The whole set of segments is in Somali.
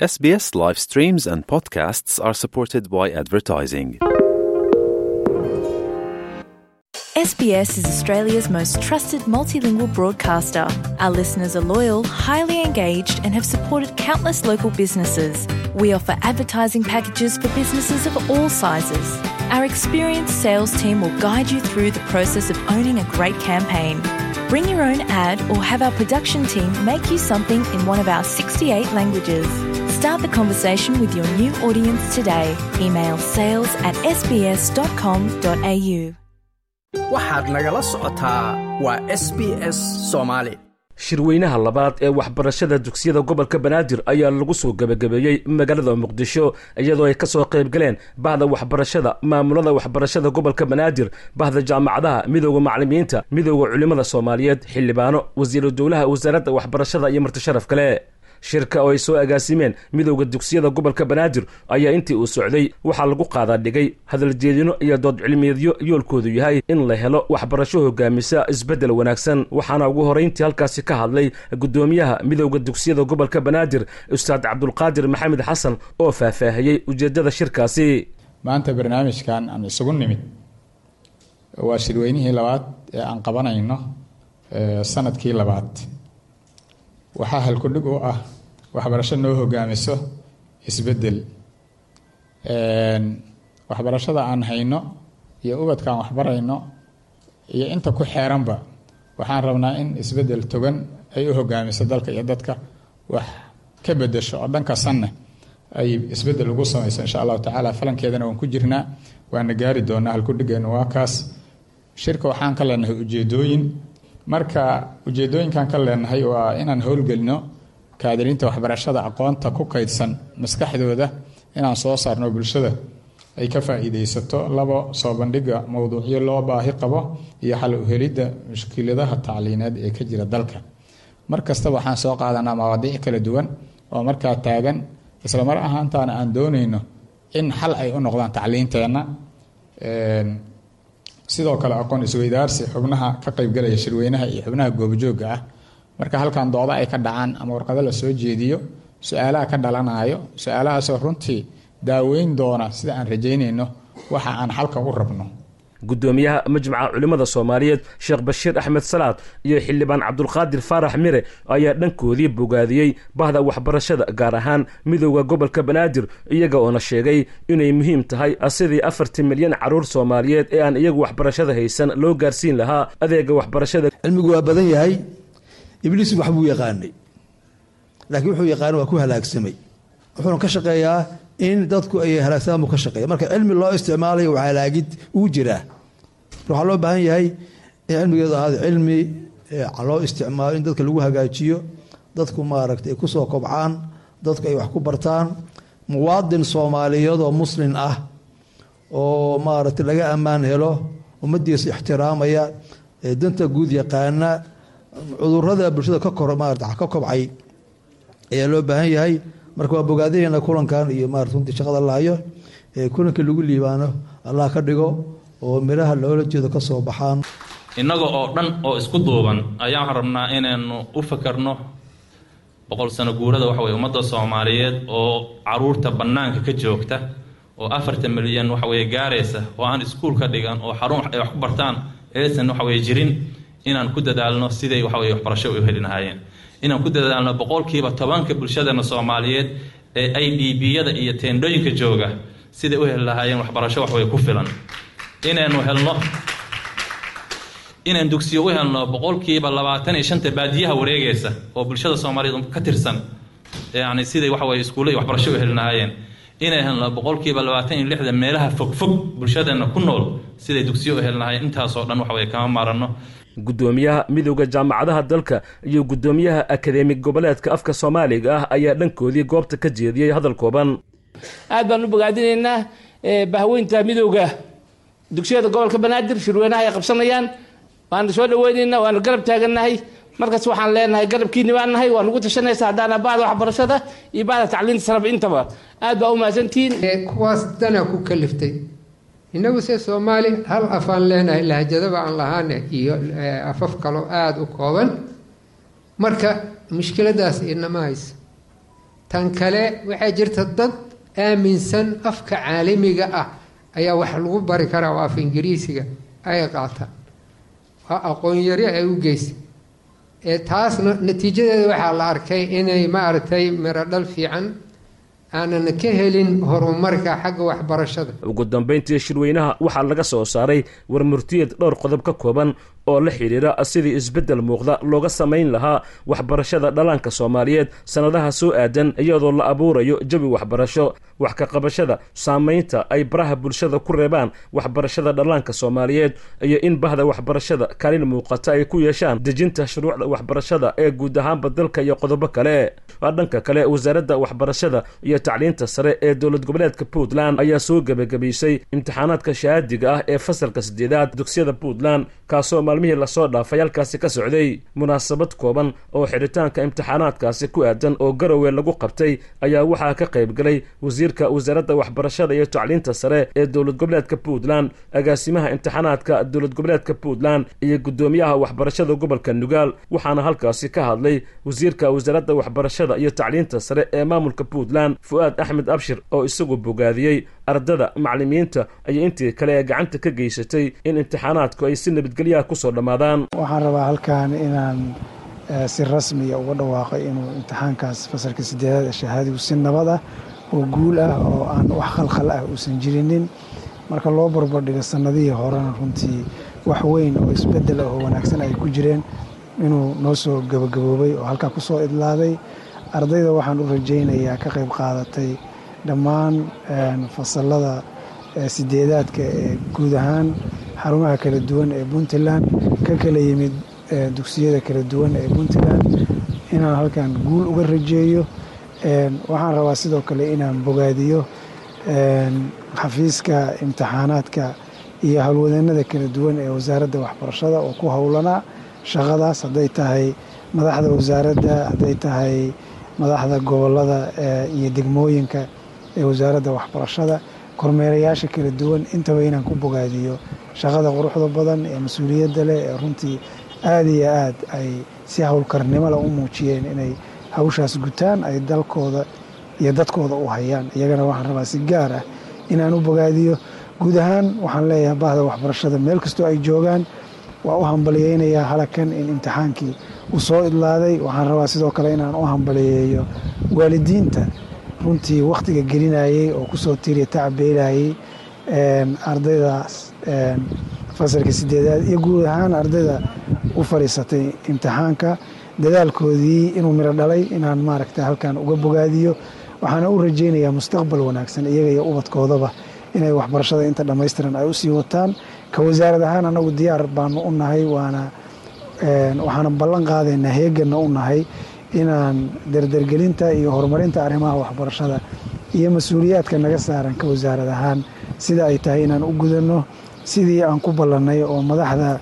SBS live streams and podcasts are supported by advertising. SBS is Australia's most trusted multilingual broadcaster. Our listeners are loyal, highly engaged, and have supported countless local businesses. We offer advertising packages for businesses of all sizes. Our experienced sales team will guide you through the process of owning a great campaign. Bring your own ad or have our production team make you something in one of our 68 languages. Start the conversation with your new audience today. Email sales@sbs.com.au. Waxaad nagala socotaa waa SBS Soomaali. Shirweynaha labaad ee waxbarashada dugsiyada gobolka Banaadir ayaa lagu soo gebagabeeyey magaalada Muqdisho, iyadoo ay kasoo qayb galeen bahda waxbarashada, maamulada waxbarashada gobolka Banaadir, bahda jaamacadaha, Midowda Macalimiinta, Midowda Culimada Soomaaliyeed, xildhibaano, wasiiru dowlaha wasaaradda waxbarashada iyo martisharaf kale. Shirka oo ay soo agaasimeen Midowda Dugsiyada gobolka Banaadir ayaa intii uu socday waxaa lagu qaadaa dhigay hadaljeedino iyo dood cilmiyeedyo yoolkoodu yahay in la helo waxbarasho hogaamisa isbeddel wanaagsan. Waxaana ugu horeyntii halkaasi ka hadlay guddoomiyaha Midowda Dugsiyada gobolka Banaadir, Ustaad Cabdulqaadir Maxamed Xasan, oo faahfaahiyey ujeeddada shirkaasi. Maanta barnaamijkan aan isugu nimid waa shirweynihii labaad ee aan qabanayno sanadkii labaad. Waxaa halkudhig u ah waxbarasho noo hogaamiso isbedel. Waxbarashada aan hayno iyo ubadkaan waxbarayno iyo inta ku xeeranba waxaan rabnaa in isbedel togan ay u hogaamiso dalka iyo dadka, wax ka bedesho oo dhanka sanna ay isbedel ugu samayso, insha Allahu tacaala. Falankeedana waan ku jirnaa, waana gaari doonaa. Halkudhigeenu waa kaas. Shirka waxaan ka leenahay ujeedooyin. Marka ujeedooyinkan ka leenahay waa inaan howlgelino kaadiriinta waxbarashada, aqoonta ku kaydsan maskaxdooda inaan soo saarno, bulshada ay ka faa'iidaysato. Labo, soo bandhiga mowduucyo loo baahi qabo iyo xal uhelidda mushkiladaha tacliineed ee ka jira dalka. Mar kasta waxaan soo qaadanaa mawaadiic kala duwan oo markaa taagan, isla mar ahaantaana aan doonayno in xal ay u noqdaan tacliinteenna. Sidoo kale aqoon isweydaarsi xubnaha ka qaybgalaya shirweynaha iyo xubnaha goobjoogga ah. Marka halkan dooda ay ka dhacaan ama warqado la soo jeediyo, su-aalaha ka dhalanayo, su-aalahaasoo runtii daaweyn doona, sida aan rajaynayno, waxa aan xalka u rabno. Guddoomiyaha Majmaca Culimmada Soomaaliyeed, Sheekh Bashiir Axmed Salaad, iyo xildhibaan Cabdulqaadir Faarax Mire ayaa dhankoodii bogaadiyey bahda waxbarashada, gaar ahaan Midowda gobolka Banaadir, iyaga oona sheegay inay muhiim tahay sidii 40 milyan carruur Soomaaliyeed ee aan iyagu waxbarashada haysan loo gaarsiin lahaa adeega waxbarashada. Cilmigu waa badan yahay. Ibliis wax buu yaqaanay, laakiin wuxuu yaqaanay waa ku halaagsamay. Wuxuuna ka shaqeeyaa in dadku ay halaagsamaan buu ka shaqeeya. Marka cilmi loo isticmaalayo waa halaagid uu jiraa. Waxaa loo baahan yahay in cilmigeedu ahaado cilmi loo isticmaalo in dadka lagu hagaajiyo, dadku maaragtay ay kusoo kobcaan, dadku ay wax ku bartaan, muwaadin Soomaaliyeed oo Muslin ah oo maaragtay laga ammaan helo, ummaddiisa ixtiraamaya, danta guud yaqaana, cudurada bulshada ka kor maarata ka kobcay ayaa loo baahan yahay. Marka waa bogaadaheenna kulankan iyo maarata runtii shaqada la hayo. Kulankii lagu liibaano Allah ka dhigo oo midhaha loola jeedo ka soo baxaan. Innaga oo dhan oo isku duuban ayaan waxaan rabnaa inaynu u fakarno 100 sano guurada waxa weye ummadda Soomaaliyeed oo caruurta bannaanka ka joogta oo 40 milyan waxa weye gaaraysa oo aan iskuul ka dhigan oo xarun ay wax ku bartaan aysan waxa weye jirin, inaan ku dadaalno siday waxa weye waxbarasho u heli lahaayeen, inaan ku dadaalno 10%-ka bulshadana Soomaaliyeed ee IDP-yada iyo teendhooyinka jooga siday u heli lahaayeen waxbarasho waxweye ku filan, inaynu helno, inaan dugsiyo u helno 25%-ta baadiyaha wareegaysa oo bulshada Soomaaliyeed ka tirsan, yacni siday waxa weye iskuulla iyo waxbarasho u heli lahaayeen, inay helno 26%-da meelaha fogfog bulshadeenna ku nool siday dugsiyo u heli lahaayeen. Intaasoo dhan waxa weye kama maaranno. Guddoomiyaha Midowda Jaamacadaha dalka iyo guddoomiyaha Akademi Goboleedka Afka Soomaaliga ah ayaa dhankoodii goobta ka jeediyey hadal kooban. Aad baan u bogaadinaynaa bahweynta Midowda Dugsiyada gobolka Banaadir shirweynaha ay qabsanayaan. Waanu soo dhaweynaynaa, waanu garab taagannahay. Markaas waxaan leenahay garabkiini baan nahay, waa nagu tashanaysa haddaana bahda waxbarashada iyo bahda tacliinta saraba intaba. Aad baa u mahadsantihiin. Kuwaas danaa ku kaliftay. Innagu se Soomaali hal afaan leenahay, lahjadaba aan lahaane iyo afaf kaloo aada u kooban. Marka mushkiladaas inama hayso. Tan kale, waxaa jirta dad aaminsan afka caalamiga ah ayaa wax lagu bari karaa oo af Ingiriisiga ay qaataan. Waa aqoon yari ay u geystay ee taasna natiijadeeda waxaa la arkay inay, maaragtay, miro dhal fiican aanan ka helin horumarka xagga waxbarashada. Ugu dambeyntii, shirweynaha waxaa laga soo saaray warmurtiyeed dhowr qodob ka kooban oo la xidhiira sidii isbeddel muuqda looga samayn lahaa waxbarashada dhallaanka Soomaaliyeed sannadaha soo aadan, iyadoo la abuurayo jawi waxbarasho, wax ka qabashada saamaynta ay baraha bulshada ku reebaan waxbarashada dhallaanka Soomaaliyeed, iyo in bahda waxbarashada kaalin muuqata ay ku yeeshaan dejinta shuruucda waxbarashada ee guud ahaanba dalka, iyo qodobo kale. Dhanka kale, Wasaaradda Waxbarashada iyo Tacliinta Sare ee dowlad goboleedka Puntland ayaa soo gebagabaysay imtixaanaadka shahaadiga ah ee fasalka sideedaad dugsiyada Puntland, kaasoo maalmihii lasoo dhaafay halkaasi ka socday. Munaasabad kooban oo xidhitaanka imtixaanaadkaasi ku aadan oo Garowe lagu qabtay ayaa waxaa ka qayb galay wasiirka Wasaaradda Waxbarashada iyo Tacliinta Sare ee dowlad goboleedka Puntland, agaasimaha imtixaanaadka dowlad goboleedka Puntland iyo guddoomiyaha waxbarashada gobolka Nugaal. Waxaana halkaasi ka hadlay wasiirka Wasaaradda Waxbarashada iyo Tacliinta Sare ee maamulka Puntland, Fu'aad Axmed Abshir, oo isagu bogaadiyey ardada, macallimiinta iyo intii kale ee gacanta ka geysatay in imtixaanaadku ay si nabadgelyaha kusoo dhammaadaan. Waxaan rabaa halkan inaan si rasmiya uga dhawaaqay inuu imtixaankaas fasalka sideedaad ee shahaadigu si nabad ah oo guul ah oo aan wax khalkhal ah uusan jirinin. Marka loo barbardhigo sannadihii horena, runtii wax weyn oo isbeddel ah oo wanaagsan ay ku jireen inuu noo soo gabagaboobay oo halkaa ku soo idlaaday. Ardayda waxaan u rajaynayaa ka qayb qaadatay dhammaan fasalada sideedaadka ee guud ahaan xarumaha kala duwan ee Puntland, ka kala yimid dugsiyada kala duwan ee Puntland, inaan halkan guul uga rajeeyo. Waxaan rabaa sidoo kale inaan bogaadiyo xafiiska imtixaanaadka iyo howlwadeenada kala duwan ee Wasaaradda Waxbarashada oo ku howlanaa shaqadaas, hadday tahay madaxda wasaaradda, hadday tahay madaxda gobolada iyo degmooyinka ee Wasaaradda Waxbarashada, kormeerayaasha kala duwan, intaba inaan ku bogaadiyo shaqada quruxda badan ee mas-uuliyadda leh ee runtii aada iyo aad ay si howlkarnimo leh u muujiyeen inay hawshaas gutaan, ay dalkooda iyo dadkooda u hayaan. Iyagana waxaan rabaa si gaar ah inaan u bogaadiyo. Guud ahaan waxaan leeyahay bahda waxbarashada meel kastoo ay joogaan waa u hambaliyeynayaa halakan in imtixaankii uu soo idlaaday. Waxaan rabaa sidoo kale inaan u hambaliyeeyo waalidiinta runtii wakhtiga gelinayey oo kusoo tiriya tacbeelayay ardaydaas fasalka sideedaad iyo guud ahaan ardayda u fadhiisatay imtixaanka, dadaalkoodii inuu miro dhalay inaan, maaragta, halkan uga bogaadiyo. Waxaana u rajaynayaa mustaqbal wanaagsan iyaga iyo ubadkoodaba inay waxbarashada inta dhammaystiran ay usii wataan. Ka wasaarad ahaan anagu diyaar baanu u nahay, waana waxaana ballan qaadaynaa, heeganna u nahay inaan dardargelinta iyo horumarinta arrimaha waxbarashada iyo mas-uuliyaadka naga saaran ka wasaarad ahaan sida ay tahay inaan u gudanno, sidii aan ku ballannay oo madaxda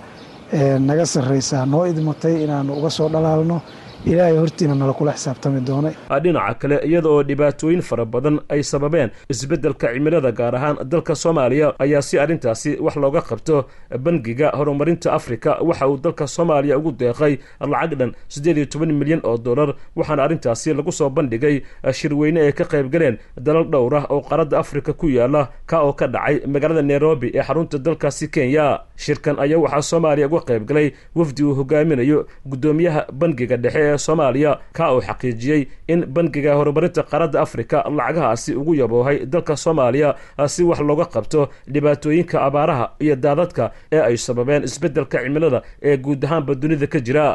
naga sarraysaa noo idmatay inaanu uga soo dhalaalno, Ilaahay hortiina nala kula xisaabtami doono. Dhinaca kale, iyada oo dhibaatooyin fara badan ay sababeen isbeddelka cimilada, gaar ahaan dalka Soomaaliya, ayaa si arrintaasi wax looga qabto Bangiga Horumarinta Afrika waxa uu dalka Soomaaliya ugu deeqay lacag dhan 18 milyan oo dollar. Waxaana arrintaasi lagu soo bandhigay shirweyne ay ka qayb galeen dalal dhowr ah oo qaaradda Afrika ku yaala, ka oo ka dhacay magaalada Nairobi ee xarunta dalkaasi Kenya. Shirkan ayaa waxaa Soomaaliya uga qayb galay wafdi uu hogaaminayo guddoomiyaha Bangiga Dhexe ee Soomaaliya, ka uu xaqiijiyey in Bangiga Horumarinta Qaaradda Afrika lacagahaasi ugu yaboohay dalka Soomaaliya si wax looga qabto dhibaatooyinka abaaraha iyo daadadka ee ay sababeen isbeddelka cimilada ee guud ahaanba dunida ka jira.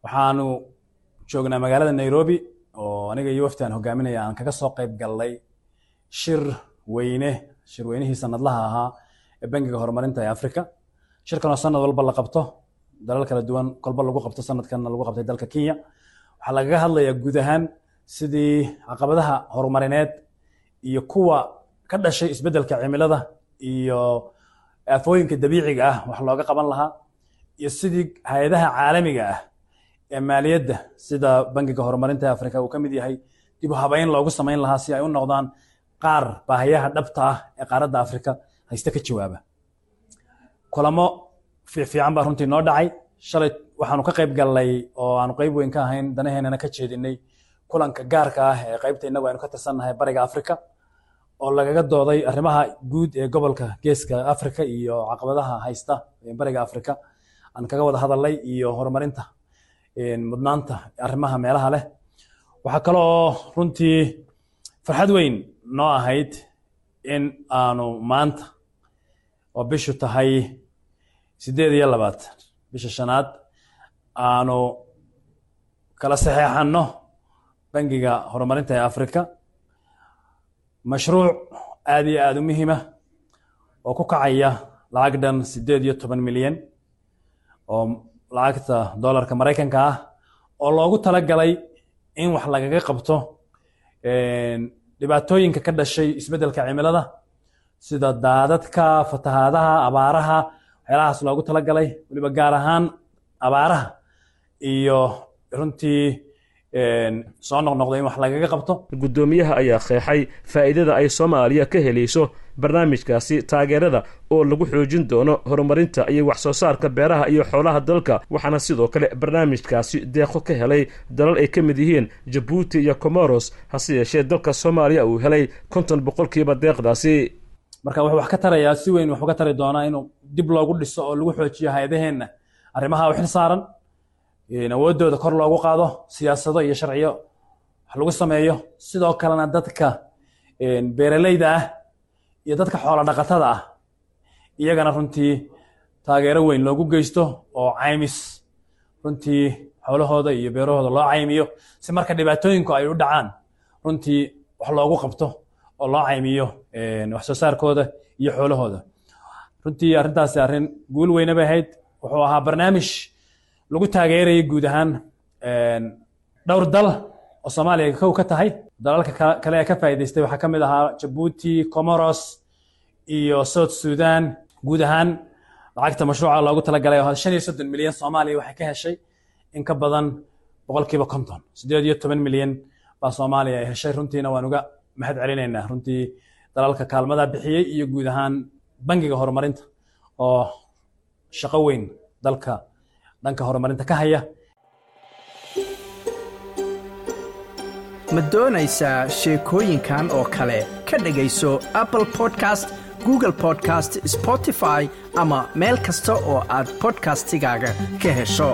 Waxaanu joognaa magaalada Nairobi oo aniga iyo wafti aan hogaaminaya aan kaga soo qayb gallay shir weyne, shirweynihii sanadlaha ahaa ee Bangiga Horumarinta ee Afrika. Shirkan oo sanad walba la qabto, dalal kala duwan kolba lagu qabto, sanadkanna lagu qabtay dalka Kenya, waxaa lagaga hadlayaa guud ahaan sidii caqabadaha horumarineed iyo kuwa ka dhashay isbeddelka cimilada iyo aafooyinka dabiiciga ah wax looga qaban lahaa, iyo sidii hay-adaha caalamiga ah ee maaliyadda sida Bangiga Horumarinta Afrika uu ka mid yahay dib u habeyn loogu samayn lahaa si ay u noqdaan qaar baahiyaha dhabta ah ee qaaradda Afrika hayste ka jawaaba. Kulamo fiican baa runtii noo dhacay. Shalay waxaanu ka qayb gallay oo aanu qayb weyn ka ahayn, danaheenana ka jeedinay, Kulanka gaarka ah ee qaybta innagu aynu ka tirsannahay Bariga Afrika, oo lagaga dooday arrimaha guud ee gobolka Geeska Afrika iyo caqabadaha haysta Bariga Afrika aan kaga wada hadalnay, iyo horumarinta mudnaanta arrimaha meelaha leh. Waxaa kaloo runtii farxad weyn noo ahayd in aanu maanta oo bishu tahay 28 bisha shanaad aanu kala saxeexanno Bangiga Horumarinta ee Afrika mashruuc aad iyo aada u muhiima oo ku kacaya lacag dhan 18 milyan oo lacagta dollarka Maraykanka ah, oo loogu talagalay in wax lagaga qabto dhibaatooyinka ka dhashay isbeddelka cimilada, sida daadadka, fatahaadaha, abaaraha, waxyaalahaas loogu talagalay, weliba gaar ahaan abaaraha iyo runtii soo noqnoqday in wax lagaga qabto. Guddoomiyaha ayaa qeexay faa'iidada ay Soomaaliya ka helayso barnaamijkaasi taageerada, oo lagu xoojin doono horumarinta iyo wax soo saarka beeraha iyo xoolaha dalka. Waxaana sidoo kale barnaamijkaasi deeqo ka helay dalal ay ka mid yihiin Jabuuti iyo Comoros, hase yeeshee dalka Soomaaliya uu helay 50% deeqdaasi. Marka wuxuu wax ka tarayaa, si weyn wax uga tari doonaa, inuu dib loogu dhiso oo lagu xoojiyo hay-adaheenna arrimaha u xil saaran, awoodooda kor loogu qaado, siyaasado iyo sharciyo wax lagu sameeyo, sidoo kalena dadka beeraleyda ah iyo dadka xoolo dhaqatada ah iyagana runtii taageero weyn loogu geysto, oo caymis runtii xoolahooda iyo beerahooda loo caymiyo, si marka dhibaatooyinku ay u dhacaan runtii wax loogu qabto oo loo caymiyo wax soo saarkooda iyo xoolahooda. Runtii arrintaasi arrin guul weyne bay ahayd. Wuxuu ahaa barnaamij lagu taageerayay guud ahaan dhowr dal oo Soomaaliya kow ka tahay. Dalalka kale ee ka faa'iidaystay waxaa ka mid ahaa Jabuuti, Comoros iyo South Sudan. Guud ahaan lacagta mashruuca loogu talagalay oo 35 milyan, Soomaaliya waxay ka heshay in ka badan 50%, 18 milyan baa Soomaaliya ay heshay. Runtiina waan uga mahad celinaynaa runtii dalalka kaalmada bixiyey iyo guud ahaan Bangiga Horumarinta oo shaqo weyn dalka dhanka horumarinta ka haya. Ma doonaysaa sheekooyinkan oo kale? Ka dhegayso Apple Podcast, Google Podcast, Spotify ama meel kasta oo aad podcastigaaga ka hesho.